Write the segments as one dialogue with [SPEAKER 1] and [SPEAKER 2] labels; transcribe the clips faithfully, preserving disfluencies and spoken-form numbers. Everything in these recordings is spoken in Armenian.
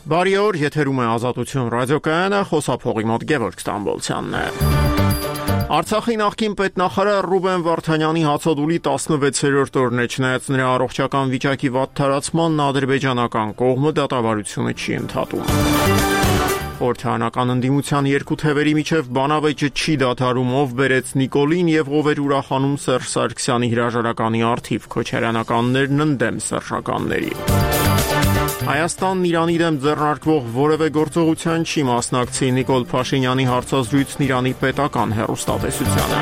[SPEAKER 1] Բարի օր, եթերում է Ազատություն ռադիոկայանը, խոսափողի մոտ Գևորգ Ստամբոլցյանն է։ Արցախի նախկին պետնախարար Ռուբեն Վարդանյանի հացադուլի տասնվեցերորդ օրն է, չնայած նրա առողջական վիճակի վատ թարացմանն ադրբեջանական կողմը դատավարությունը չի ընդհատում։ Խորհրդարանական ընդդիմության երկու թևերի միջև բանավեճը չի դադարում, ով բերեց Նիկոլին եւ ով էր ուրախանում Սերժ Սարգսյանի հրաժարականի առթիվ, քոչարյանականներն ընդդեմ սերժականների։ Հայաստանն Իրանի դեմ ձեռնարկվող որևէ գործողության չի մասնակցի Նիկոլ Փաշինյանի հարցազրույցն Իրանի պետական հեռուստատեսությանը։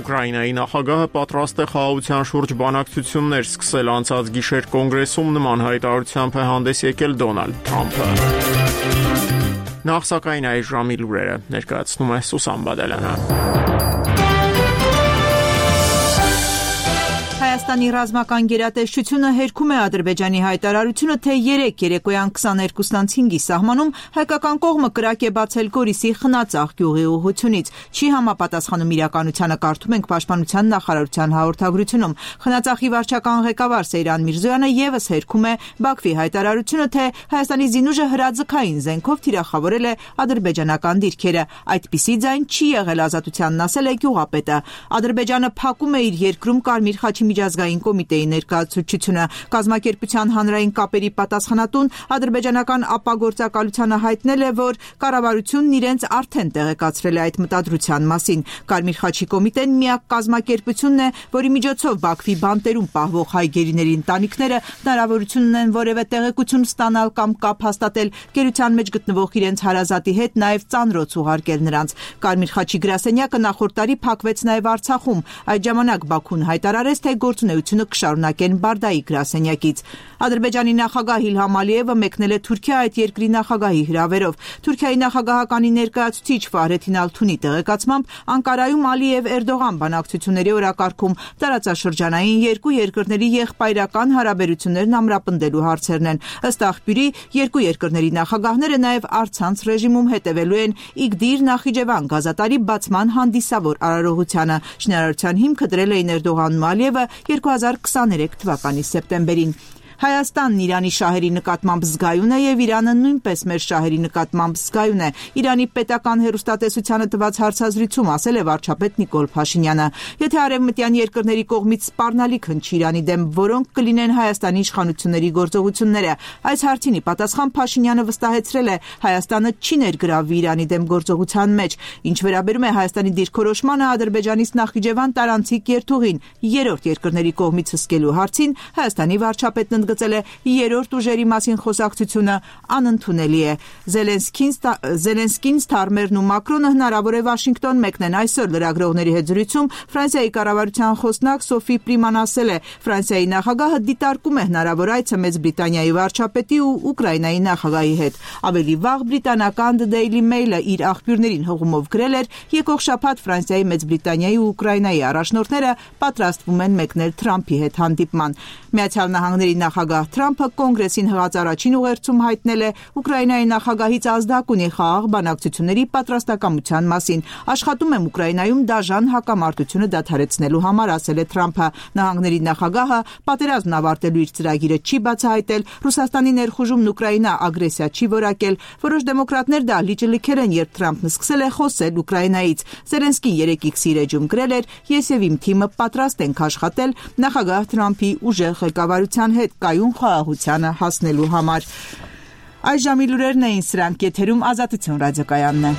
[SPEAKER 1] Ուկրաինայի նախագահը պատրաստ է խաղաղության շուրջ բանակցություններ սկսել, անցած գիշեր կոնգրեսում նման հայտարարությամբ է հանդես եկել Դոնալդ Թրամփը։ Նախ սակայն այս ժամի լուրերը ներկայացնում է Սուսան Բադալյանը։
[SPEAKER 2] Հայաստանի ռազմական գերատեսչությունը հերքում է Ադրբեջանի հայտարարությունը, թե երեկ երեկոյան քսաներկուսից հինգի սահմանում հայկական կողմը կրակ է բացել Գորիսի Խնածաղ գյուղի ուղղությունից։ Չի համապատասխանում իրականությանը, կարդում ենք Պաշտպանության նախարարության հաղորդագրությունում։ Խնածաղի վարչական ղեկավար Սեյրան Միրզոյանը ևս հերքում է Բաքվի հայտարարությունը, թե Հայաստանի զինուժը հրաձգային զենքով թիրախավորել է ադրբեջանական դիրքերը։ Այդպիսի ձայն չի եղել, Ազատությանն ասել է գյուղապետը։ Ադրբեջանը փակում է իր երկրում Կարմիր խաչի միջազգային կոմիտեի ներկայացուցչությունը։ Կազմակերպության հանրային կապերի պատասխանատուն ադրբեջանական ապագործակալությանը հայտնել է, որ կառավարությունն իրենց արդեն տեղեկացրել է այդ մտադրության մասին։ Կարմիր խաչի կոմիտեն միակ կազմակերպությունն է, որի միջոցով Բաքվի բանտերում պահվող հայ գերիների ընտանիքները հնարավորություն ունեն որևէ տեղեկություն ստանալ կամ կապ հաստատել գերության մեջ գտնվող իրենց հարազատի հետ, նաև ծանրոց ուղարկել նրանց։ Կարմիր խաչի գրասենյակը նախորդ տարի փակվեց նաև Արցախում։ Այդ ժամանակ Բաքուն հայտարարեց, թե գործունեությունը կշարունակեն Բարդայի գրասենյակից։ Ադրբեջանի նախագահ Իլհամ Ալիևը մեկնել է Թուրքիա այդ երկրի նախագահի հրավերով։ Թուրքիայի նախագահականի ներկայացուցիչ Ֆահրեթին Ալթունի տեղեկացմամբ Անկարայում Ալիև-Էրդողան բանակցությունների օրակարգում տարածաշրջանային երկու երկրների եղբայրական հարաբերություններն ամրապնդելու հարցերն են։ Ըստ աղբյուրի, երկու երկրների նախագահները նաև առցանց ռեժիմում հետևելու են Իգդիր Նախիջևան գազատարի բացման հանդիսավոր արարողությանը։ Շինարարության հիմքը դրել էին Էրդողանն ու Ալիևը երկու հազար քսաներեք թվականի սեպտեմբերին։ Հայաստանն Իրանի շահերի նկատմամբ զգայուն է եւ Իրանը նույնպես մեր շահերի նկատմամբ զգայուն է, Իրանի պետական հեռուստատեսությանը տված հարցազրույցում ասել է վարչապետ Նիկոլ Փաշինյանը։ Եթե արևմտյան երկրների կողմից սպառնալիք հնչի Իրանի դեմ, որոնք կլինեն Հայաստանի իշխանությունների գործողությունները, այս հարցին ի պատասխան Փաշինյանը վստահեցրել է, Հայաստանը չի ներգրավվի Իրանի դեմ գործողության մեջ։ Ինչ վերաբերում է Հայաստանի դիրքորոշմանը Ադրբեջանից Նախիջևան տարանցիկ երթուղին երրորդ երկրների կողմից հսկելու հարցին, Հայաստանի վարչապետն գծել է երրորդ ուժերի մասին խոսակցությունը անընդունելի է։ Զելենսկին Զելենսկին Ստարմերն ու Մակրոնը հնարավոր է Վաշինգտոն մեկնեն այսօր լրագրողների հետ զրույցում Ֆրանսիայի կառավարության խոսնակ Սոֆի Պրիման ասել է, Ֆրանսիայի նախագահը դիտարկում է հնարավոր այցը Մեծ Բրիտանիայի վարչապետի ու Ուկրաինայի նախագահի հետ։ Ավելի վաղ բրիտանական The Daily Mail-ը իր աղբյուրներին հողումով գրել էր, եկող շաբաթ Ֆրանսիայի, Մեծ Բրիտանիայի ու Ուկրաինայի առաջնորդները պատրաստվում են մեկնել Թրամփի հետ հանդիպման։ Միացյալ Նահանգների նախագահ Թրամփը կոնգրեսին հղած առաջին ուղերձում հայտնել է Ուկրաինայի նախագահից ազդակ ունի խաղաղ բանակցությունների պատրաստակամության մասին։ Աշխատում եմ Ուկրաինայում դաժան հակամարտությունը դադարեցնելու համար, ասել է Թրամփը։ Նահանգների նախագահը պատերազմն ավարտելու իր ծրագիրը չի բացահայտել, Ռուսաստանի ներխուժումն Ուկրաինա ագրեսիա չի որակել։ Որոշ դեմոկրատներ դահլիճը լքել են, երբ Թրամփն սկսել է խոսել Ուկրաինայից։ Զելենսկին երեկ X-ի էջում գրել էր. «Ես եւ իմ թիմը պատրաստ ենք աշխատել նախագահ Թրամփի ուժեղ ղեկավարության հետ կայուն խաղաղությանը հասնելու համար»։ Այս ժամի լուրերն էին սրանք, եթերում Ազատություն ռադիոկայանն է։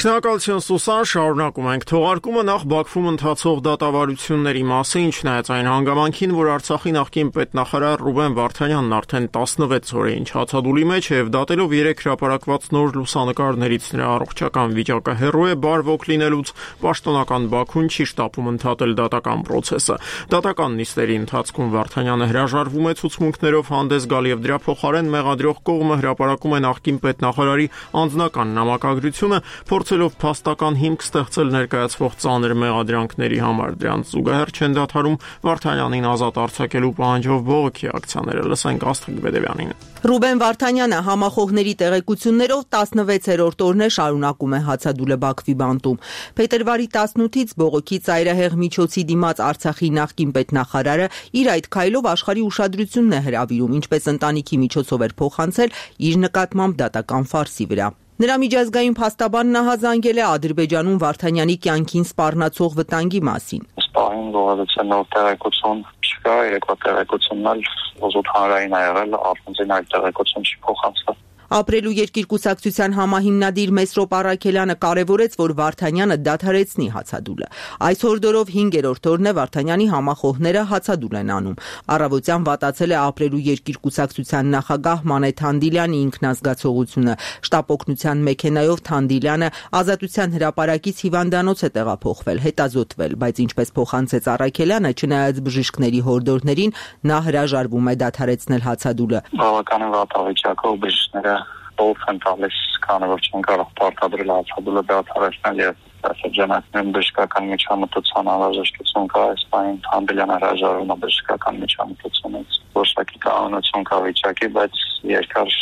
[SPEAKER 1] Շնորհակալություն Սուսան, շարունակում ենք թողարկումը նախ Բաքվում ընթացող դատավարությունների մասին, չնայած այն հանգամանքին, որ Արցախի նախկին պետնախարար Ռուբեն Վարդանյանն արդեն տասնվեց օր է ինչ հացադուլի մեջ է եւ դատելով երեք հրապարակված նոր լուսանկարներից նրա առողջական վիճակը հեռու է բարվոք լինելուց, պաշտոնական Բաքուն չի շտապում ընդհատել դատական process-ը։ Դատական նիստերի ընթացքում Վարդանյանը հրաժարվում է ցուցմունքներով հանդես գալ եւ դրա փոխարեն մեղադրող կողմը հրապարակում է նախկին պետնախարարի անձնական նամակագրությունը, փորձ փորձելով փաստական հիմք ստեղծել ներկայացվող ծանր մեղադրանքների համար, դրանց զուգահեռ չեն դադարում Վարդանյանին ազատ արձակելու պահանջով բողոքի ակցիաները։ Լսենք Աստղիկ Բեդևյանին։
[SPEAKER 2] Ռուբեն Վարդանյանը համախոհների տեղեկություններով տասնվեցերորդ օրն է շարունակում է հացադուլը Բաքվի բանտում։ Փետրվարի տասնութից բողոքի ծայրահեղ միջոցի դիմաց Արցախի նախկին պետնախարարը իր այդ քայլով աշխարհի ուշադրությունն է հրավիրում, ինչպես ընտանիքի միջոցով էր փոխանցել իր նկատմամբ դատական ֆարսի վրա։ Նրա միջազգային փաստաբանն ահազանգել է Ադրբեջանում Վարդանյանի կյանքին սպառնացող վտանգի մասին։
[SPEAKER 3] Սպահին գոհացության նոր տեղեկություն չկա, երկու տեղեկությունն էլ ոզոտ հանրային ա եղել, առանձին այդ տեղեկություն չի փոխանցվել։
[SPEAKER 2] Ապրելու երկիր կուսակցության համահիմնադիր Մեսրոպ Առաքելյանը կարևորեց, որ Վարդանյանը դադարեցնի հացադուլը։ Այս հորդորով հինգերորդ օրն է Վարդանյանի համախոհները հացադուլ են անում։ Առավոտյան վատացել է Ապրելու երկիր կուսակցության նախագահ Մանե Թանդիլյանի ինքնազգացողությունը։ Շտապօգնության մեքենայով Թանդիլյանը Ազատության հրապարակից հիվանդանոց է տեղափոխվել, հետազոտվել, բայց ինչպես փոխանցեց Առաքելյանը, չնայած բժիշկների հորդորներին, նա հրաժարվում է դադարեցնել հացադուլը։
[SPEAKER 3] Բավականին վատավիճակով բժիշկները ով են տալիս, քանի որ չեն կարող պարտադրել հացադուլը դադարեցնել եւ շրջանակներում բժշկական միջամտության անհրաժեշտություն կա, այս բանին Թանդիլյանը հրաժարվում է բժշկական միջամտությունից։ Որոշակի կանոնություն կա վիճակի, բայց երկար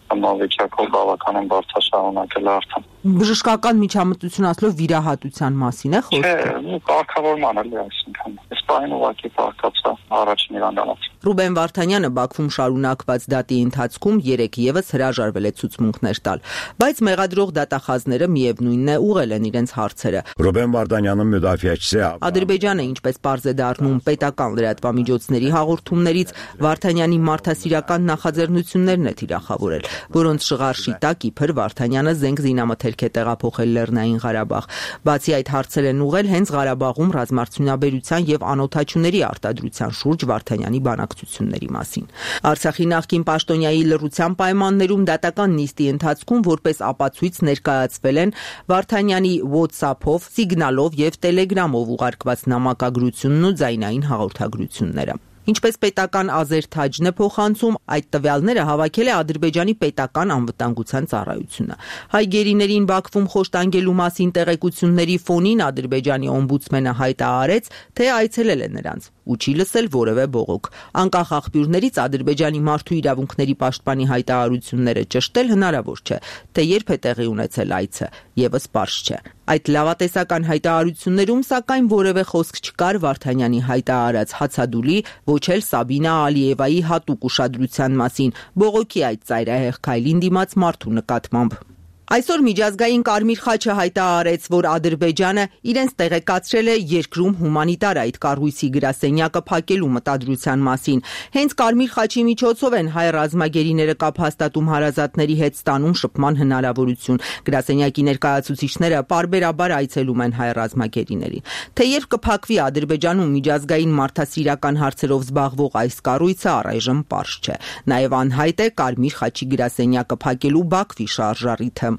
[SPEAKER 3] վիճակով բավականին բարձրաշարունակել է արդեն։
[SPEAKER 2] Բժշկական միջամտություն ասելով վիրահատության մասին է խոսքը։
[SPEAKER 3] Չէ, կարգավորման էլ է, այսինքն սպային ուղղակի պարտացա առաջին հիվանդանոց։
[SPEAKER 2] Ռուբեն Վարդանյանը Բաքվում շարունակված դատի ընթացքում երեք ևս հրաժարվել է ցուցմունքներ տալ, բայց մեղադրող դատախազները միևնույնն է ուղղել են իրենց հարցերը։
[SPEAKER 4] Ռուբեն Վարդանյանը müdafiəçisi է։
[SPEAKER 2] Ադրբեջանը, ինչպես պարզ է դառնում պետական լրատվամիջոցների հաղորդումներից, Վարդանյանի մարդասիրական նախաձեռնություններն է թիրախավորել, որոնց շղարշի տակ իբր Վարդանյանը զենք զինամթերք է տեղափոխել Լեռնային Ղարաբաղ։ Բացի այդ, հարցեր են ուղղել հենց Ղարաբաղում ռազմարդյունաբերության եւ անօթաչուների արտադրության շուրջ Վարդանյանի բանակցությունների մասին։ Արցախի նախկին պաշտոնյայի լռության պայմաններում դատական նիստի ընթացքում որպես ապացույց ներկայացվել են Վարդանյանի WhatsApp-ով, Signal-ով եւ Telegram-ով ուղարկված նամակագրությունն ու ձայնային հաղորդագրությունները։ Ինչպես պետական Ազերթաջն է փոխանցում, այդ տվյալները հավաքել է Ադրբեջանի պետական անվտանգության ծառայությունը։ Հայ գերիներին Բաքվում խոշտանգելու մասին տեղեկությունների ֆոնին Ադրբեջանի օմբուդսմենը հայտարարեց, թե այցելել է նրանց ու չի լսել որևէ բողոք։ Անկախ աղբյուրներից Ադրբեջանի մարդու իրավունքների պաշտպանի հայտարարությունները ճշտել հնարավոր չէ, թե երբ է տեղի ունեցել այցը, եւս պարզ չէ։ Այդ լավատեսական հայտարարություններում սակայն որևէ խոսք չկար Վարդանյանի հայտարարած հացադուլի, ոչ էլ Սաբինա Ալիևայի հատուկ ուշադրության մասին, բողոքի այդ ծայրահեղ քայլին դիմաց մարդու նկատմամբ։ Այսօր միջազգային Կարմիր խաչը հայտարարեց, որ Ադրբեջանը իրենց տեղեկացրել է երկրում հումանիտար այդ կառույցի գրասենյակը փակելու մտադրության մասին։ Հենց Կարմիր խաչի միջոցով են հայ ռազմագերիները կապ հաստատում հարազատների հետ ստանում շփման հնարավորություն։ Գրասենյակի ներկայացուցիչները պարբերաբար այցելում են հայ ռազմագերիներին։ Թե երբ կփակվի Ադրբեջանում միջազգային մարդասիրական հարցերով զբաղվող այս կառույցը, առայժմ պարզ չէ։ Նաև անհայտ է Կարմիր խաչի գրասենյակը փակելու Բաքվի շարժառիթը։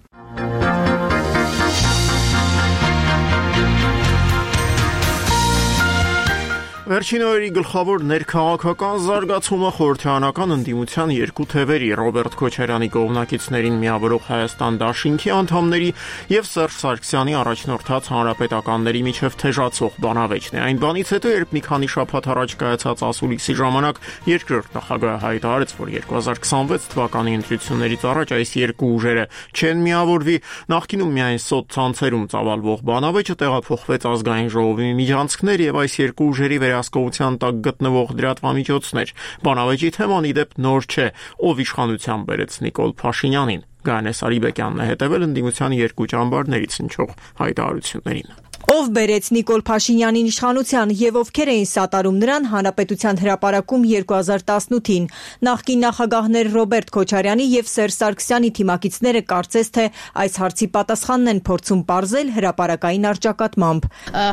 [SPEAKER 1] Վերջին օրերի գլխավոր ներքաղաքական զարգացումը խորհրդարանական ընդդիմության երկու թևերի Ռոբերտ Քոչարյանի կողմնակիցներին միավորող Հայաստան դաշինքի անդամների եւ Սերժ Սարգսյանի առաջնորդած հանրապետականների միջև թեժացող բանավեճն է։ Այն բանից հետո, երբ մի քանի շաբաթ առաջ կայացած ասուլիսի ժամանակ երկրորդ նախագահը հայտարարեց, որ երկու հազար քսանվեց թվականի ընտրություններից առաջ այս երկու ուժերը չեն միավորվի, նախկինում միայն սոց ցանցերում ծավալվող բանավեճը տեղափոխվեց ազգային ժողովի միջանցքներ եւ այս երկու ուժերի վերահսկողության տակ գտնվող լրատվամիջոցներ։ Բանավեճի թեման ի դեպ նոր չէ, ով իշխանության բերեց Նիկոլ Փաշինյանին։ Գայանե Սարիբեկյանն է հետևել ընդդիմության երկու ճամբարներից հնչող հայտարարություններին։
[SPEAKER 5] Ով բերեց Նիկոլ Փաշինյանին իշխանության եւ ովքեր էին սատարում նրան Հանրապետության հրապարակում երկու հազար տասնութին։ Նախկին նախագահներ Ռոբերտ Քոչարյանի եւ Սերժ Սարգսյանի թիմակիցները կարծես թե այս հարցի պատասխանն են փորձում պարզել հրապարակային առճակատմամբ։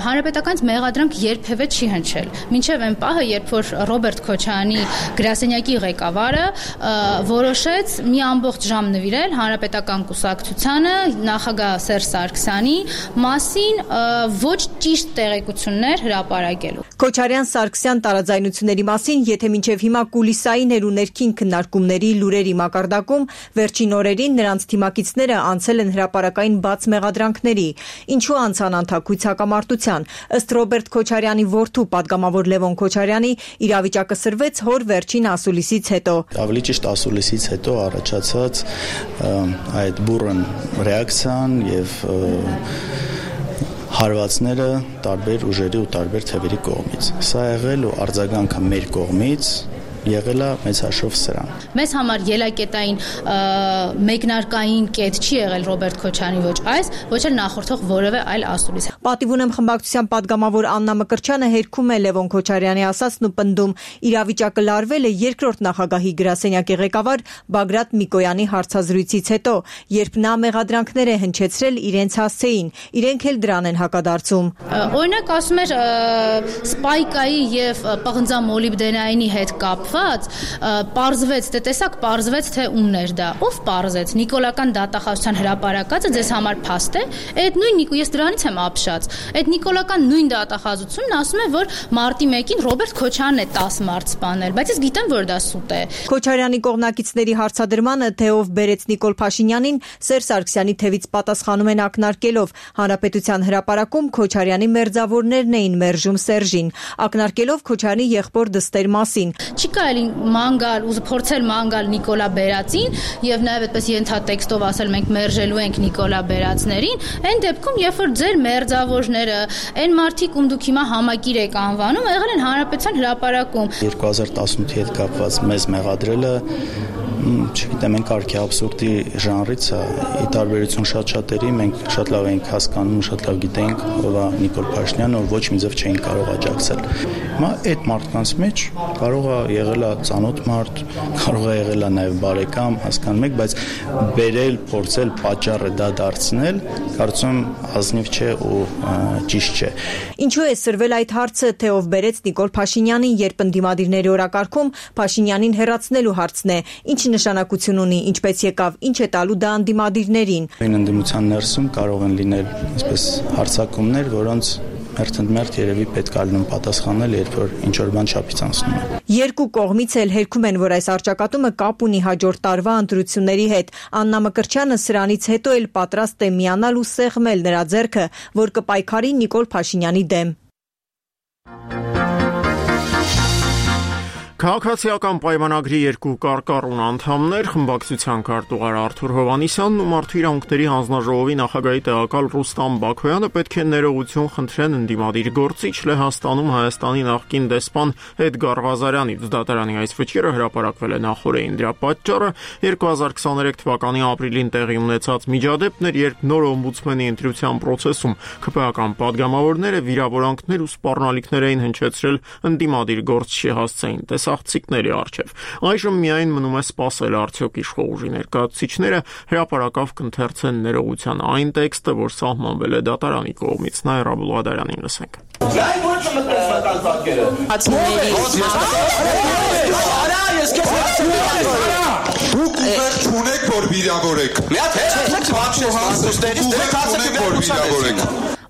[SPEAKER 6] Հանրապետականից մեղադրանք երբևէ չի հնչել։ Մինչեւ այն պահը, երբ որ Ռոբերտ Քոչարյանի գրասենյակի ղեկավարը որոշեց մի ամբողջ ժամ նվիրել Հանրապետական կուսակցությանը նախագահ Սերժ Սարգսյանի մասին ոչ ճիշտ տեղեկություններ հրապարակելու։
[SPEAKER 5] Քոչարյան-Սարգսյան տարաձայնությունների մասին, եթե մինչև հիմա կուլիսային էր ու ներքին քննարկումների լուրերի մակարդակում, վերջին օրերին նրանց թիմակիցները անցել են հրապարակային բաց մեղադրանքների, ինչու անցան անթաքույց հակամարտության։ Ըստ Ռոբերտ Քոչարյանի որդու պատգամավոր Լևոն Քոչարյանի, իրավիճակը սրվեց հոր վերջին ասուլիսից հետո։
[SPEAKER 7] Ավելի ճիշտ ասուլիսից հետո առաջացած այդ բուրըն ռեակցիան եւ հարվածները տարբեր ուժերի ու տարբեր թևերի կողմից։ Սա եղել ու արձագանքը մեր կողմից եղել է մեծ հաշվով սրան։
[SPEAKER 6] Մեզ համար ելակետային մեկնարկային կետ չի եղել Ռոբերտ Քոչարյանի ոչ այս, ոչ էլ նախորդող որևէ այլ ասուլիս։
[SPEAKER 5] Պատիվ ունեմ խմբակցության падգամավոր Աննա Մկրտչյանը հերքում է Լևոն Քոչարյանի ասածն ու պնդում, իրավիճակը լարվել է երկրորդ նախագահի գրասենյակի ղեկավար Բագրատ Միկոյանի հարցազրույցից հետո, երբ նա մեղադրանքներ է հնչեցրել իրենց հասցեին, իրենք էլ դրան են հակադարձում։
[SPEAKER 6] Օրինակ ասում էր սպայկայի եւ պղնձամոլիբդենայինի հետ կապված պարզվեց, դե տեսակ պարզվեց, թե ումն էր դա։ Ով պարզեց։ Նիկոլական դատախազության հրապարակածը ձեզ համար փաստ է։ Այդ նույն ես դրանից եմ ապշած։ Այդ նիկոլական նույն դատախազությունն ասում է, որ մարտի մեկին Ռոբերտ Քոչարյանն է տասը մարդ սպանել, բայց ես գիտեմ, որ դա սուտ է։
[SPEAKER 5] Քոչարյանի կողմնակիցների հարցադրմանը, թե ով բերեց Նիկոլ Փաշինյանին, Սերժ Սարգսյանի թևից պատասխանում են ակնարկելով, Հանրապետության հրապարակում Քոչարյանի մերձավորներն էին մերժում Սերժին, ակնարկելով Քոչարյանի եղբոր դստեր մասին։
[SPEAKER 6] Չի կարելի ման գալ ու փորձել ման գալ Նիկոլա Բերածին եւ նաեւ այդպես ենթատեքստով ասել մենք մերժելու ենք Նիկոլա Բերածներին, այն դեպքում երբ որ ձեր մերձավորները, այն մարդիկ, ում դուք հիմա համակիր եք անվանում, եղել են Հանրապետության հրապարակում։
[SPEAKER 7] երկու հազար տասնութի հետ կապված մեզ մեղադրելը չգիտեմ, մենք կարգի абսուրդի ժանրից է, ի տարբերություն շատ շատերի, մենք շատ լավ ենք հասկանում, շատ լավ գիտենք ով է Նիկոլ Փաշինյանը, որ ոչ մի ձև չէին կարող աջակցել։ Հիմա այդ մարդկանց մեջ կարող է եղել է ծանոթ մարդ, կարող է եղել է նաև բարեկամ, հասկանում եք, բայց բերել, փորձել պատճառը դա դարձնել, կարծում ազնիվ չէ ու ճիշտ չէ։
[SPEAKER 5] Ինչու է սրվել այդ հարցը, թե ով բերեց Նիկոլ Փաշինյանին, երբ ընդդիմադիրների օրակարգում Փաշինյանին հեռացնելու հարցն է, ինչ նշանակություն ունի, ինչպես եկավ, ինչ է տալու դա ընդդիմադիրներին։
[SPEAKER 7] Այն ընդդիմության ներսում կարող են լինել այսպես հարձակումներ, որոնց մերթընդմերթ երևի պետք է լինում պատասխանել, երբ որ ինչ-որ բան չափից անցնում է։
[SPEAKER 5] Երկու կողմից էլ հերքում են, որ այս առճակատումը կապ ունի հաջորդ տարվա ընտրությունների հետ։ Աննա Մկրտչյանը սրանից հետո էլ պատրաստ է միանալ ու սեղմել նրա ձեռքը, որ կպայքարի Նիկոլ Փաշինյանի դեմ։
[SPEAKER 1] Քաղաքացիական պայմանագրի երկու կարկառուն անդամներ, խմբակցության քարտուղար Արթուր Հովհաննիսյանն ու Մարդու իրավունքների հանձնաժողովի նախագահի տեղակալ Ռուստամ Բաքոյանը պետք է ներողություն խնդրեն ընդդիմադիր գործիչ Լեհաստանում Հայաստանի նախկին դեսպան Էդգար Ղազարյանից։ Դատարանի այս վճիռը հրապարակվել է նախորդին։ Դրա պատճառը երկու հազար քսաներեք թվականի ապրիլին տեղի ունեցած միջադեպն էր, երբ նոր օմբուդսմենի ընտրության process-ում ԿՊ-ական падգամավորները վիրավորանքներ ու սպառնալիքներ էին հնչեցրել ընդդիմադիր գործչի հասցեին աղցիկների առջև։ Այժմ միայն մնում է սպասել արդյոք իշխող ուժի ներկայացուցիչները հրապարակավ կընթերցեն ներողության այն տեքստը, որ սահմանվել է դատարանի կողմից։ Նաիրա Բուլղադարյանին լսենք։
[SPEAKER 8] Դուք ուղեղ չունեք, որ վիրավորեք։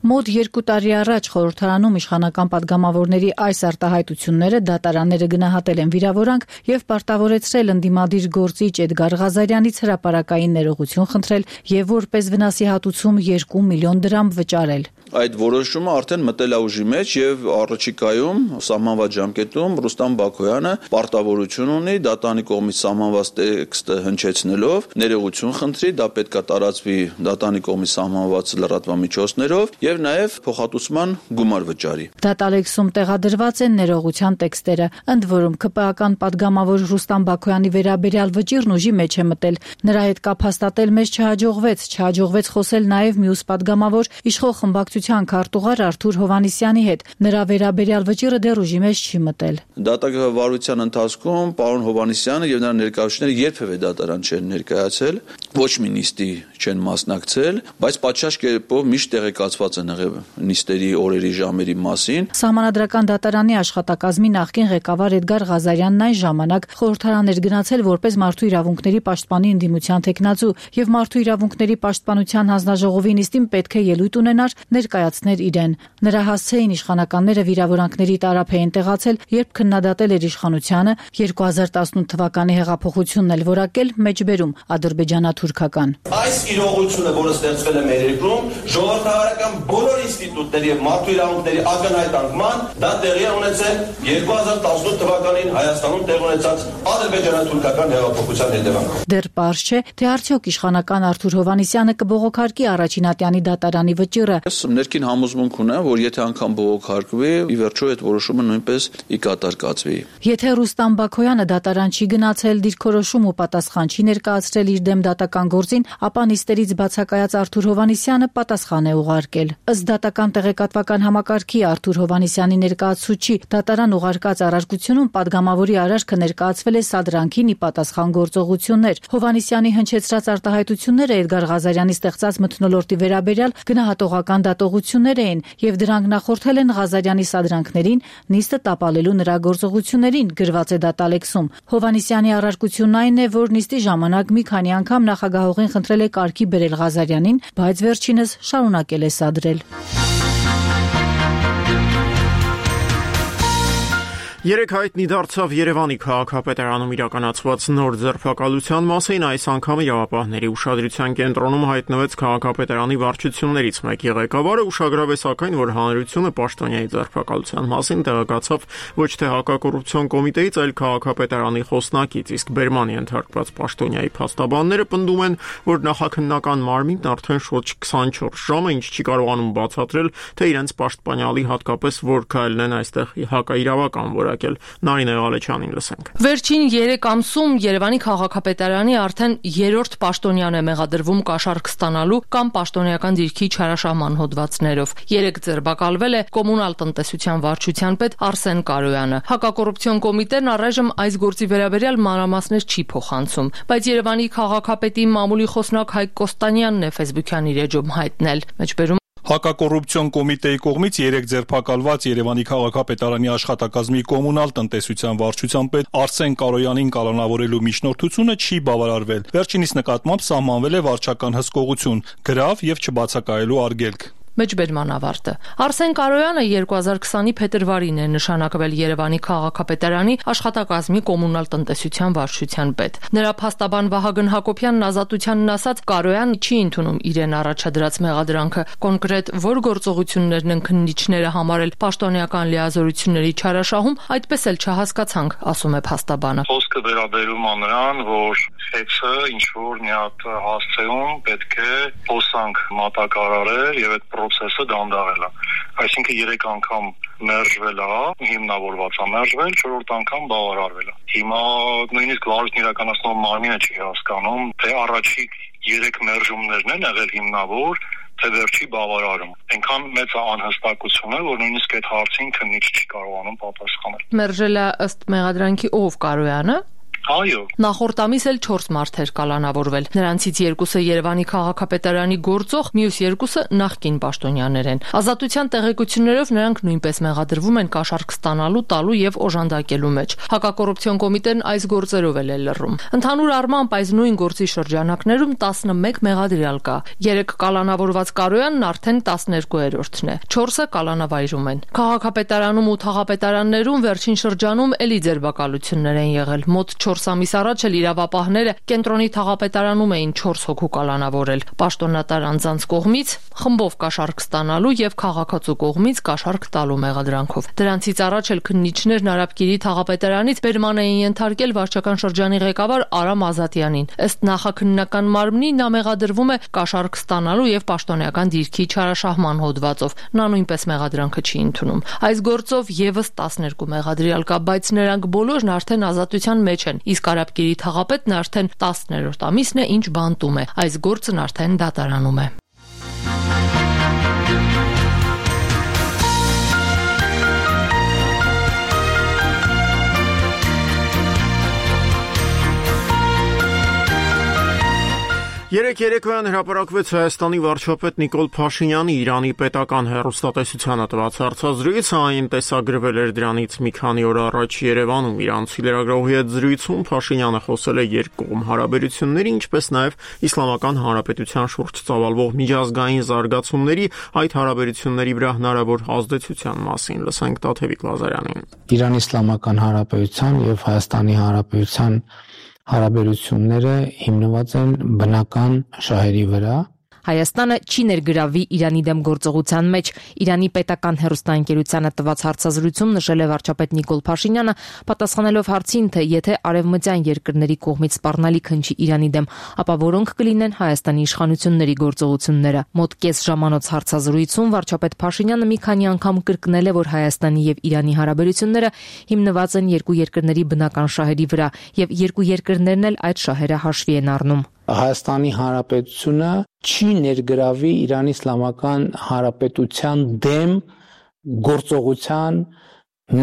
[SPEAKER 9] Մոտ երկու տարի առաջ խորհրդարանում իշխանական падգամավորների այս արտահայտությունները դատարանները գնահատել են վիրավորանք եւ պարտավորեցրել ընդդիմադիր գործիչ Էդգար Ղազարյանից հրապարակային ներողություն խնդրել եւ որպես վնասի հատուցում երկու միլիոն դրամ վճարել։
[SPEAKER 10] Այդ որոշումը արդեն մտել է ուժի մեջ եւ առաջիկայում սահմանված ժամկետում Ռուստամ Բաքոյանը պարտավորություն ունի դատանի կողմից սահմանված տեքստը հնչեցնելով ներողություն խնդրի, դա պետք է տարածվի դատանի կողմից սահմանված լրատվամիջոցներով եւ նաեւ փոխհատուցման գումար վճարի։
[SPEAKER 9] Դատալեքսում տեղադրված են ներողության տեքստերը, ընդ որում ԿՊ-ական падգամավոր Ռուստամ Բաքոյանի վերաբերյալ վճիրն ուժի մեջ է մտել։ Նրա հետ կապ հաստատել մեզ չհաջողվեց, չհաջողվեց խոսել նաեւ մյուս падգամավոր իշխող խմբակցության քարտուղար Արթուր Հովհաննիսյանի հետ։ Նրա վերաբերյալ վճիրը դեռ ուժի մեջ չի մտել։
[SPEAKER 10] Դատավարության ընթացքում պարոն Հովհաննիսյանը եւ նրա ներկայացուցիչները երբեւե դատարան չեն ներկայացել, ոչ մի նիստի չեն մասնակցել, բայց պատշաճ կերպով միշտ տեղեկացված են նիստերի օրերի ժամերի մասին։
[SPEAKER 9] Սահմանադրական դատարանի աշխատակազմի նախկին ղեկավար Էդգար Ղազարյանն այն ժամանակ խորհրդարան էր գնացել որպես մարդու իրավունքների պաշտպանի ընդդիմության թեկնածու եւ մարդու իրավունքների պաշտպանության հանձնաժողովի նիստին պետք է ելույթ ունենար ներկայացներ իրեն։ Նրա հասցեին իշխանականները վիրավորանքների տարափ էին տեղացել, երբ քննադատել էր իշխանությանը, երկու հազար տասնութ թվականի հեղափոխությունն էլ որակել մեջբերում ադրբեջանա-թուրքական։
[SPEAKER 11] Այս իրողությունը, որը ստեղծվել է մեր երկրում, ժողովրդավարական բոլոր ինստիտուտների եւ մարդու իրավունքների ակնհայտ անկման, դա տեղի է ունեցել երկու հազար տասնութ թվականին Հայաստանում տեղ ունեցած ադրբեջանա-թուրքական հեղափոխության հետևանքով։
[SPEAKER 9] Դեռ պարզ չէ, թե արդյոք իշխանական Արթուր Հովհաննիսյանը կբողոքարկի առաջինատյանի դատարանի վճիռը։
[SPEAKER 10] Ես ներքին համոզմունք ունեմ, որ եթե անգամ բողոքարկվի, ի վերջո այդ որոշումը նույնպես ի կատար կացվի։
[SPEAKER 9] Եթե Ռուստամ Բաքոյանը դատարան չի գնացել, դիրքորոշում ու պատասխան չի ներկայացրել իր դեմ դատական գործին, ապա նիստերից բացակայած Արթուր Հովհաննիսյանը պատասխան է ուղարկել։ Ըստ դատական տեղեկատվական համակարգի Արթուր Հովհաննիսյանի ներկայացուցիչի դատարան ուղարկած առարկությունում պատգամավորի արարքը ներկայացվել է սադրանքին ի պատասխան գործողություններ։ Հովհաննիսյանի հնչեցրած արտահայտությունները Էդգար Ղազարյանի ստեղծած մթնոլորտի վերաբերյալ գնահատողական դատողություններ էին եւ դրանք նախորդել են Ղազարյանի սադրանքներին, նիստը տապալելու նրա գործողություններին, գրված է դատալեքսում։ Հովհաննիսյանի առարկությունն այն է, որ նիստի ժամանակ մի քանի անգամ նախագահողին խնդրել է կարգի բերել Ղազարյանին, բայց վերջինս շարունակել է սադրել։
[SPEAKER 1] Երեք հայտնի դարձավ Երևանի քաղաքապետարանում իրականացված նոր ձերբակալության մասին, այս անգամ իրավապահների ուշադրության կենտրոնում հայտնվեց քաղաքապետարանի վարչություններից մեկի ղեկավարը, ուշագրավ է սակայն, որ հանրությունը պաշտոնյայի ձերբակալության մասին տեղեկացավ ոչ թե հակակոռուպցիոն կոմիտեից, այլ քաղաքապետարանի խոսնակից, իսկ բերման ենթարկված պաշտոնյայի փաստաբանները պնդում են, որ նախաքննական մարմինն արդեն շուրջ քսանչորս ժամ է, ինչ չի կարողանում բացատրել, թե իրենց պաշտպանյալի հատկապես որ քայլն են այստեղ հակաիրավական որակ Նարինե Ղալեչյանին լսենք։
[SPEAKER 12] Վերջին երեք ամսում Երևանի քաղաքապետարանի արդեն երրորդ պաշտոնյան է մեղադրվում կաշառք ստանալու կամ պաշտոնեական դիրքի չարաշահման հոդվածներով։ Երեք ձերբակալվել է կոմունալ տնտեսության վարչության պետ Արսեն Կարոյանը։ Հակակոռուպցիոն կոմիտեն առայժմ այս գործի վերաբերյալ մանրամասներ չի փոխանցում, բայց Երևանի քաղաքապետի մամուլի խոսնակ Հայկ Կոստանյանն է Facebook-յան իր էջում հայտնել։ Մեջբերում
[SPEAKER 13] Հակակոռուպցիոն կոմիտեի կողմից երեք ձերբակալված Երևանի քաղաքապետարանի աշխատակազմի կոմունալ տնտեսության վարչության պետ Արսեն Կարոյանին կալանավորելու միջնորդությունը չի բավարարվել։ Վերջինիս նկատմամբ սահմանվել է վարչական հսկողություն, գրավ եւ չբացակայելու արգելք։
[SPEAKER 12] Մեջբերման ավարտը։ Արսեն Կարոյանը երկու հազար քսանի փետրվարին է նշանակվել Երևանի քաղաքապետարանի աշխատակազմի կոմունալ տնտեսության վարչության պետ։ Նրա փաստաբան Վահագն Հակոբյանն ազատությանն ասաց, Կարոյանը չի ընդունում իրեն առաջադրած մեղադրանքը, կոնկրետ որ գործողություններն են քննիչները համարել պաշտոնեական լիազորությունների չարաշահում, այդպես էլ չհասկացանք, ասում է փաստաբանը։
[SPEAKER 3] Խոսքը վերաբերում է նրան, որ խեցը ինչ որ մի հատ հասցեում պետք է փոսանք մատակարարել եւ այդ process-ը դանդաղել է։ Այսինքն երեք անգամ մերժվել է, հիմնավորված է մերժվել, չորրորդ անգամ բավարարվել է։ Հիմա նույնիսկ վարույթն իրականացնող մարմինը չի հասկանում, թե առաջի երեք մերժումներն են եղել հիմնավոր, թե վերջի բավարարում։ Այնքան մեծ է անհստակությունը, որ նույնիսկ այդ հարցին քննիչ չի կարողանում պատասխանել։
[SPEAKER 12] Մերժելը ըստ մեղադրանքի ով Կարոյանը։
[SPEAKER 3] Այո։
[SPEAKER 12] Նախորդ ամիս էլ չորս մարդ էր կալանավորվել։ Նրանցից երկուսը Երևանի քաղաքապետարանի գործող, մյուս երկուսը նախկին պաշտոնյաներ են։ Ազատության տեղեկություններով նրանք նույնպես մեղադրվում են կաշառք ստանալու, տալու եւ օժանդակելու մեջ։ Հակակոռուպցիոն կոմիտեն այս գործերով էլ է լռում։ Ընդհանուր առմամբ այս նույն գործի շրջանակներում տասնմեկ մեղադրյալ կա։ երեք կալանավորված Կարոյանն արդեն տասներկուերորդն է։ չորսը կալանավայրում են։ Քաղաքապետարանում ու թաղապետարաններում վերջին շրջանում էլի ձերբակալություններ են եղել։ Մոտ չորս ամիս առաջ էլ իրավապահները կենտրոնի թաղապետարանում էին չորս հոգու կալանավորել։ Պաշտոնատար անձանց կողմից խմբով կաշառք ստանալու եւ քաղաքացու կողմից կաշառք տալու մեղադրանքով։ Դրանցից առաջ էլ քննիչներն Արաբկիրի թաղապետարանից բերման էին ենթարկել վարչական շրջանի ղեկավար Արամ Ազատյանին։ Ըստ նախաքննական մարմնի նա մեղադրվում է կաշառք ստանալու եւ պաշտոնեական դիրքի չարաշահման հոդվածով։ Նա նույնպես մեղադրանքը չի ընդունում։ Այս գործով եւս տասներկու մեղադրյալ կա, բայց նրանք բոլորն արդեն ազատության մեջ են, իսկ Արաբկիրի թաղապետն արդեն տասներորդ ամիսն է, ինչ բանտում է։ Այս գործն արդեն դատարանում է։
[SPEAKER 1] Երեք Մեկ երեկոյան հրապարակվեց Հայաստանի վարչապետ Նիկոլ Փաշինյանի Իրանի պետական հեռուստատեսությանը տված հարցազրույցը, այն տեսագրվել էր դրանից մի քանի օր առաջ Երևանում։ Իրանցի լրագրողի հետ զրույցում Փաշինյանը խոսել է երկկողմ հարաբերությունների, ինչպես նաև Իսլամական Հանրապետության շուրջ ծավալվող միջազգային զարգացումների, այդ հարաբերությունների վրա հնարավոր ազդեցության մասին։ Լսենք Տաթևիկ Լազարյանին։
[SPEAKER 14] Իրանի Իսլամական Հանրապետության եւ Հայաստանի Հանրապետության հարաբերությունները հիմնված են բնական շահերի վրա։
[SPEAKER 5] Հայաստանը չի ներգրավի Իրանի դեմ գործողության մեջ։ Իրանի պետական հեռուստաընկերությանը տված հարցազրույցում նշել է վարչապետ Նիկոլ Փաշինյանը, պատասխանելով հարցին, թե եթե արևմտյան երկրների կողմից սպառնալիք հնչի Իրանի դեմ, ապա որոնք կլինեն Հայաստանի իշխանությունների գործողությունները։ Մոտ կես ժամանոց հարցազրույցում վարչապետ Փաշինյանը մի քանի անգամ կրկնել է, որ Հայաստանի եւ Իրանի հարաբերությունները հիմնված են երկու երկրների բնական շահերի վրա, եւ երկու երկրներն էլ այդ շահերը հաշվի են առնում։
[SPEAKER 14] Հայաստանի Հանրապետությունը չի ներգրավի Իրանի Իսլամական Հանրապետության դեմ գործողության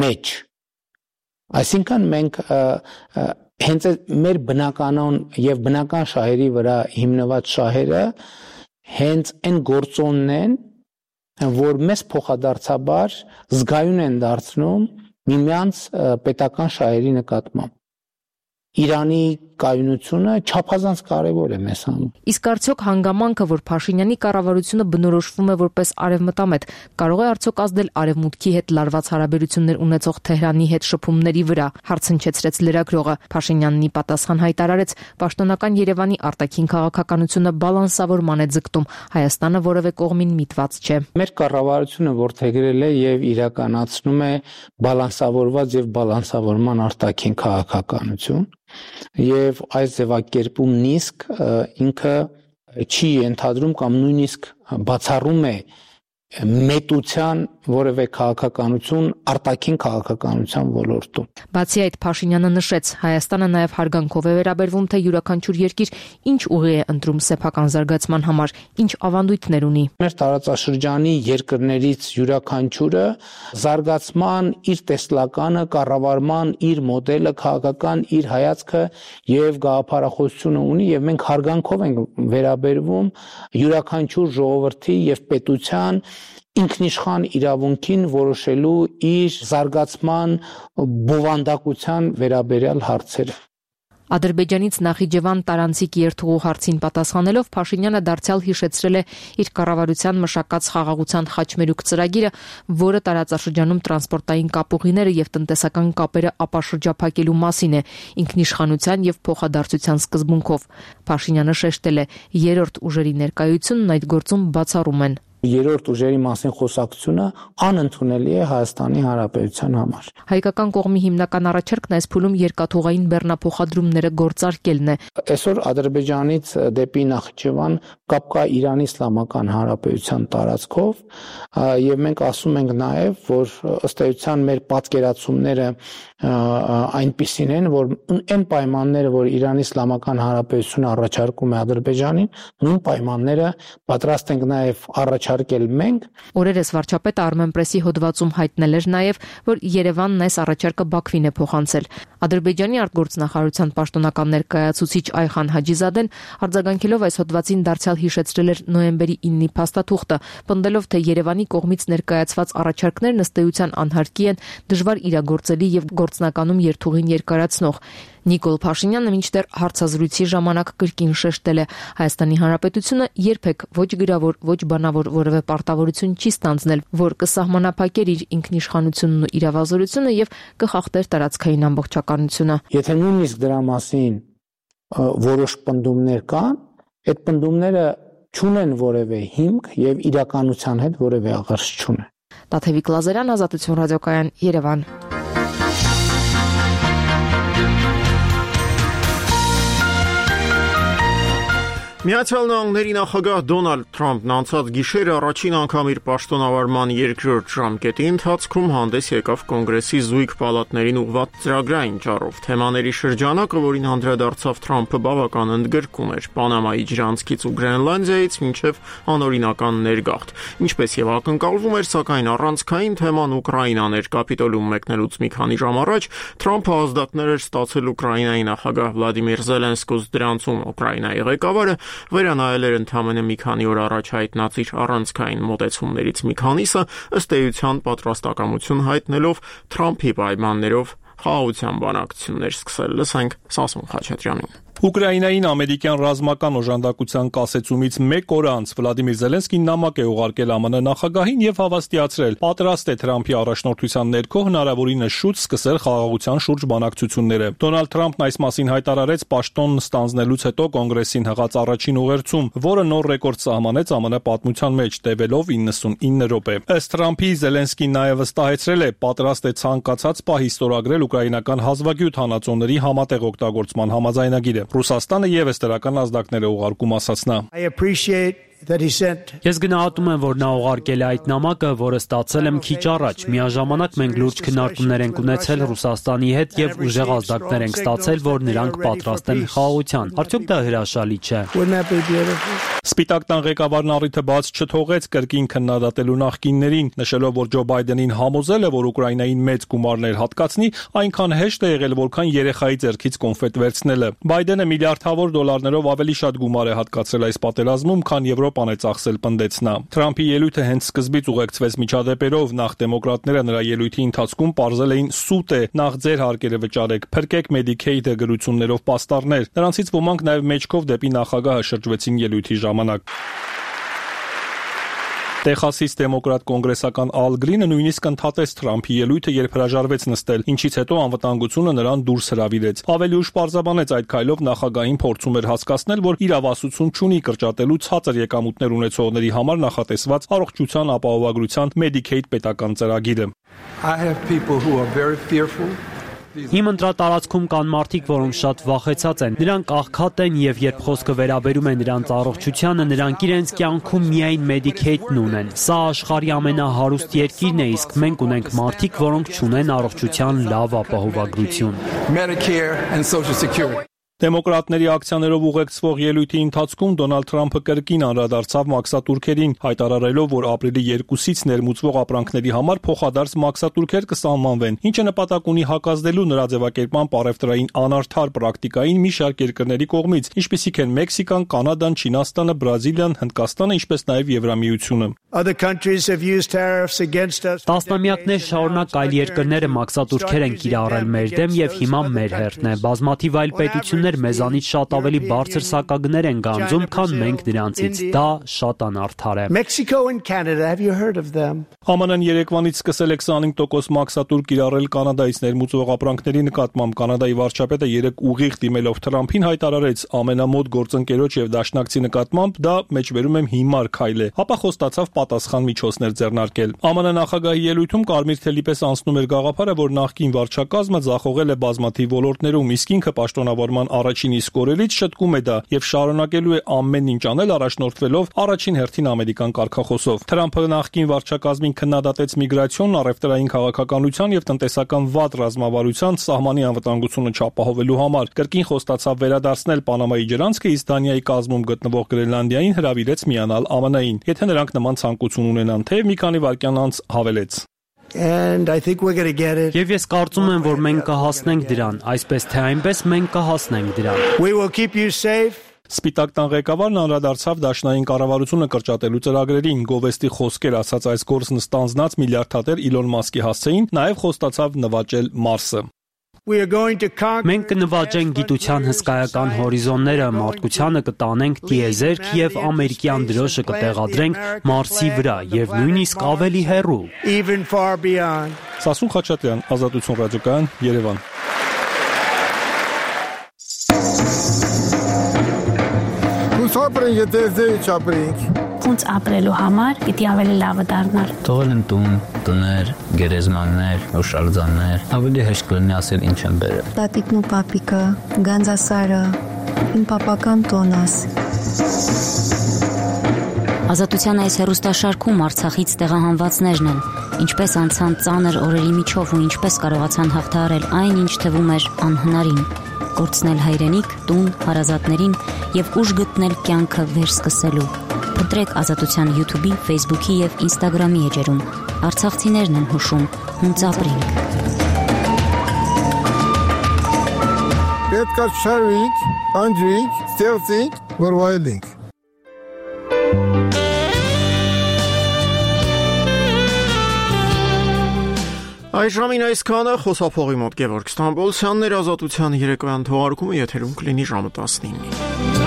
[SPEAKER 14] մեջ։ Այսինքն մենք հենց մեր բնականon եւ բնական շահերի վրա հիմնված շահերը հենց այն գործոնն են, որ մեզ փոխադարձաբար զգայուն են դարձնում միմյանց պետական շահերի նկատմամբ։ Իրանի կայունությունը չափազանց կարևոր է մեզ համար։
[SPEAKER 5] Իսկ արդյոք հանգամանքը, որ Փաշինյանի կառավարությունը բնորոշվում է որպես արևմտամետ, կարող է արդյոք ազդել արևմուտքի հետ լարված հարաբերություններ ունեցող Թեհրանի հետ շփումների վրա, հարցնչեցրեց լրագրողը։ Փաշինյանն ի պատասխան հայտարարեց, պաշտոնական Երևանի արտաքին քաղաքականությունը բալանսավորման է ձգտում, Հայաստանը որևէ կողմին միտված չէ։
[SPEAKER 14] Մեր կառավարությունը որդեգրել է եւ իրականացնում է բալանսավորված եւ բալանսավորման արտաքին քաղաքականություն։ Եվ այս ձևակերպումն իսկ ինքը չի ենթադրում կամ նույնիսկ բացառում է մետության որևէ քաղաքականություն արտաքին քաղաքականության ոլորտում։
[SPEAKER 5] Բացի այդ, Փաշինյանը նշեց, Հայաստանը նաև հարգանքով է վերաբերվում, թե յուրաքանչյուր երկիր ինչ ուղի է ընտրում սեփական զարգացման համար, ինչ ավանդույթներ ունի։
[SPEAKER 14] Մեր տարածաշրջանի երկրներից յուրաքանչյուրը զարգացման իր տեսլականը, կառավարման իր մոդելը, քաղաքական իր հայացքը եւ գաղափարախոսությունը ունի եւ մենք հարգանքով ենք վերաբերվում յուրաքանչյուր ժողովրդի եւ պետության ինքնիշխան իրավունքին որոշելու իր զարգացման բովանդակության վերաբերյալ հարցերը։
[SPEAKER 5] Ադրբեջանից Նախիջևան տարանցիկ երթուղու հարցին պատասխանելով Փաշինյանը դարձյալ հիշեցրել է իր կառավարության մշակած խաղաղության խաչմերուկ ծրագիրը, որը տարածաշրջանում տրանսպորտային կապուղիները եւ տնտեսական կապերը ապաշրջափակելու մասին է, ինքնիշխանության եւ փոխադարձության սկզբունքով։ Փաշինյանը շեշտել է, երրորդ ուժերի ներկայությունն այդ գործում բացառում են։
[SPEAKER 14] Երրորդ ուժերի մասին խոսակցությունը անընդունելի է Հայաստանի Հանրապետության համար։
[SPEAKER 5] Հայկական կողմի հիմնական առաջարկն այս փուլում երկաթուղային բեռնափոխադրումները գործարկելն է։
[SPEAKER 14] Այսօր Ադրբեջանից դեպի Նախիջևան կապ կա Իրանի Իսլամական Հանրապետության տարածքով, եւ մենք ասում ենք նաեւ, որ ըստ էության մեր պատկերացումները այնպիսին են, որ այն պայմանները, որ Իրանի Իսլամական Հանրապետությունը առաջարկում է Ադրբեջանին, նույն պայմանները պատրաստ ենք նաեւ առաջարկել մենք։
[SPEAKER 5] Օրերս վարչապետը Armenpress-ի հոդվածում հայտնել էր նաեւ, որ Երևանն այս առաջարկը Բաքվին է փոխանցել։ Ադրբեջանի արտգործնախարարության պաշտոնական ներկայացուցիչ Այխան Հաջիզադեն արձագանքելով այս հոդվածին դարձյալ հիշեցրել էր նոյեմբերի իննի փաստաթուղթը, պնդելով, թե Երևանի կողմից ներկայացված առաջարկներն ըստ էության անհարկի են, դժվար իրագործելի եւ գործնականում երթուղին երկարացնող։ Նիկոլ Փաշինյանը մինչդեռ հարցազրույցի ժամանակ կրկին շեշտել է, Հայաստանի Հանրապետությունը երբեք ոչ գրավոր, ոչ բանավոր որևէ պարտավորություն չի ստանձնել, որ կսահմանափակեր իր ինքնիշխանությունն ու իրավազորությունը եւ կխախտեր տարածքային ամբողջականությունը։
[SPEAKER 14] Եթե նույնիսկ դրա մասին որոշ պնդումներ կան, այդ պնդումները չունեն որևէ հիմք եւ իրականության հետ որևէ աղերս չունեն։
[SPEAKER 5] Տաթևիկ Լազարյան, Ազատություն ռադիոկայան, Երևան։
[SPEAKER 1] Միացյալ Նահանգների նախագահ Դոնալդ Թրամփն անցած գիշեր առաջին անգամ իր պաշտոնավարման երկրորդ ժամկետի ընթացքում հանդես եկավ կոնգրեսի զույգ պալատներին ուղղված ծրագրային ճառով։ Թեմաների շրջանակը, որին անդրադարձավ Թրամփը, բավական ընդգրկում էր Պանամայի ջրանցքից ու Գրենլանդիայից մինչև անօրինական ներգաղթ։ Ինչպես եւ ակնկալվում էր, սակայն առանցքային թեման Ուկրաինան էր։ Կապիտոլիում մեկնելուց մի քանի ժամ առաջ Թրամփը ազդակներ էր ստացել Ուկրաինայի նախագահ Վլադիմիր Զելենսկուց, դրանցում Ուկրաինայի ղեկավարը վերանայել էր ընդամենը մի քանի օր առաջ հայտնած իր առանցքային մոտեցումներից մի քանիսը, ըստ էության պատրաստակամություն հայտնելով Թրամփի պայմաններով խաղաղության բանակցություններ սկսել։ Լսենք Սասուն Խաչատրյանին։
[SPEAKER 13] Ուկրաինային ամերիկյան ռազմական օժանդակության կասեցումից մեկ օր անց Վլադիմիր Զելենսկին նամակ է ուղարկել ԱՄՆ նախագահին եւ հավաստիացրել, պատրաստ է Թրամփի առաջնորդության ներքո հնարավորինս շուտ սկսել խաղաղության շուրջ բանակցությունները։ Դոնալդ Թրամփն այս մասին հայտարարեց պաշտոն ստանձնելուց հետո կոնգրեսին հղած առաջին ուղերձում, որը նոր ռեկորդ սահմանեց ԱՄՆ պատմության մեջ, տևելով իննսունինը րոպե։ Ըստ Թրամփի, Զելենսկին նաեւ վստահեցրել է, պատրաստ է ցանկացած պահի ստորագրել ուկրաինական հազվագյուտ հանածոների համատեղ օգտագործման համաձայնագիրը։ Ռուսաստանը եւս դրական ազդակներ է ուղարկում, ասաց նա։
[SPEAKER 15] Ես գնահատում եմ, որ նա ուղարկել է այդ նամակը, որը ստացել եմ քիչ առաջ։ Միաժամանակ մենք լուրջ քննարկումներ ենք ունեցել Ռուսաստանի հետ եւ ուժեղ ազդակներ ենք ստացել, որ նրանք պատրաստ են խաղաղության։ Արդյոք դա հրաշալի չէ։
[SPEAKER 13] Սպիտակ տան ղեկավարն առիթը բաց չթողեց կրկին քննադատելու նախկիններին, նշելով, որ Ջո Բայդենին համոզել է, որ Ուկրաինային մեծ գումարներ հատկացնի, այնքան հեշտ է եղել, որքան երեխայի ձեռքից կոնֆետ վերցնելը։ Բայդենը միլիարդավոր դոլարներով ավելի շատ գումար է հատկացրել այս պատերազմում, քան Եվրոպան է ծախսել, պնդեց նա։ Թրամփի ելույթը հենց սկզբից ուղեկցվեց միջադեպերով, նախ դեմոկրատները նրա ելույթի ընթացքում պարզել էին սուտ է, նախ ձեր հարկերը վճարեք, փրկեք Medicaid-ը գրություններով պաստառներ։ Նրանցից ոմանք նաև մեջքով դեպի նախագահը շրջվեցին ելույթի ժամանակ։ Տեխասից դեմոկրատ կոնգրեսական Ալ Գրինը նույնիսկ ընդհատեց Թրամփի ելույթը, երբ հրաժարվեց նստել, ինչից հետո անվտանգությունը նրան դուրս հրավիրեց։ Ավելի ուշ պարզաբանեց այդ քայլով նախագահին փորձում էր հասկացնել, որ իրավասություն չունի կրճատելու ցածր եկամուտներ ունեցողների համար նախատեսված առողջության ապահովագրության Medicaid պետական ծրագիրը։
[SPEAKER 15] Իմ ընտրատարածքում կան մարդիկ, որոնք շատ վախեցած են։ Նրանք աղքատ են եւ երբ խոսքը վերաբերում է նրանց առողջությանը, նրանք իրենց կյանքում միայն Medicaid-ն ունեն։ Սա աշխարհի ամենահարուստ երկիրն է, իսկ մենք ունենք մարդիկ, որոնք չունեն առողջության լավ ապահովագրություն։
[SPEAKER 13] Դեմոկրատների ակցիաներով ուղեկցվող ելույթի ընթացքում Դոնալդ Թրամփը կրկին անդրադարձավ մաքսատուրքերին, հայտարարելով, որ ապրիլի երկուսից ներմուծվող ապրանքների համար փոխադարձ մաքսատուրքեր կսահմանվեն, ինչը նպատակ ունի հակազդելու նրա ձևակերպման պարևտրային անարդար պրակտիկային մի շարք երկրների կողմից, ինչպիսիք են Մեքսիկան, Կանադան, Չինաստանը, Բրազիլիան, Հնդկաստանը, ինչպես նաև Եվրամիությունը։
[SPEAKER 15] Տասնամյակներ շարունակ այլ երկրները մաքսատուրքեր են կիրառել մեր դեմ եւ հիմա մեր հերթն է։ Բազմաթիվ այլ պետություններ մեզանից շատ ավելի բարձր սակագներ են գանձում, քան մենք նրանցից։ Դա շատ անարդար է։
[SPEAKER 13] ԱՄՆ-ն երեկվանից սկսել է քսանհինգ տոկոս մաքսատուր կիրառել Կանադայից ներմուծվող ապրանքների նկատմամբ։ Կանադայի վարչապետը երեք ուղիղ դիմելով Թրամփին հայտարարեց ամենամոտ գործընկերոջ եւ դաշնակցի նկատմամբ դա մեջբերում եմ հիմար քայլ է, ապա խոստացավ պատասխան միջոցներ ձեռնարկել։ ԱՄՆ նախագահի ելույթում կարմիր թելի պես անցնում էր գաղափարը, որ նախկին վարչակազմը ձախողել է բազմաթիվ ոլորտներում, իսկ ինքը պաշտոնավորման առաջին իսկ օրերից շտկում է դա եւ շարունակելու է ամեն ինչ անել առաջնորդվելով առաջին հերթին ամերիկան կարգախոսով։ Թրամփը նախկին վարչակազմին քննադատեց միգրացիոն, առևտրային քաղաքականության եւ տնտեսական վատ ռազմավարության սահմանի անվտանգությունը չապահովելու համար։ Կրկին խոստացավ վերադարձնել Պանամայի ջրանցքը, իսկ Դանիայի կազմում գտնվող Գրենլանդիային հրավիրեց միանալ ԱՄՆ-ին, եթե նրանք նման ցանկություն ունենան, թեև մի քանի վայրկյան անց հավելեց.
[SPEAKER 15] And I think we're going to get it. Եվ ես կարծում եմ, որ մենք կհասնենք դրան, այսպես թե այնպես մենք կհասնենք դրան.
[SPEAKER 16] We will keep you safe.
[SPEAKER 13] Սպիտակ տան ղեկավարն անդրադարձավ դաշնային կառավարությունը կրճատելու ծրագրերին, գովեստի խոսքեր ասած այս գործն ստանձնած միլիարդատեր Իլոն Մասկի հասցեին, նաև խոստացավ նվաճել Մարսը։
[SPEAKER 15] Մենք կնվաճենք գիտության հսկայական հորիզոնները, մարդկությանը կտանենք տիեզերք եւ ամերիկյան դրոշը կտեղադրենք Մարսի վրա եւ նույնիսկ ավելի հեռու։
[SPEAKER 13] Սասուն Խաչատրյան, Ազատություն ռադիոկայան, Երևան։
[SPEAKER 16] Ապրենք, դեզեի չապրենք։
[SPEAKER 17] Ոնց ապրելու համար պիտի ավելի լավը դառնար։
[SPEAKER 18] Թողել են տուն, տներ, գերեզմաններ, հուշարձաններ, ավելի հեշտ կլինի ասել ինչ են բերել։
[SPEAKER 19] Տատիկն ու պապիկը, Գանձասարը, իմ պապական տոնաս։
[SPEAKER 20] Ազատության այս հեռուստաշարքում Արցախից տեղահանվածներն են, ինչպես անցան ծանր օրերի միջով ու ինչպես կարողացան հաղթահարել այն, ինչ թվում էր անհնարին։ Կորցնել հայրենիք, տուն, հարազատներին եւ ուժ գտնել կյանքը վերսկսելու։ Փնտրեք Ազատության YouTube-ի, Facebook-ի եւ Instagram-ի էջերում։ Արցախցիներն են հուշում, հունց ապրենք։
[SPEAKER 16] Պետք է շարվենք, անջրենք, ստեղծենք որ վայելենք։
[SPEAKER 1] Այժմին այսքանը խոսափողի մոտ Գևորգ Ստամբոլցյանն էր, Ազատության երեկոյան թողարկումը եթերում կլինի ժամը տասնինը։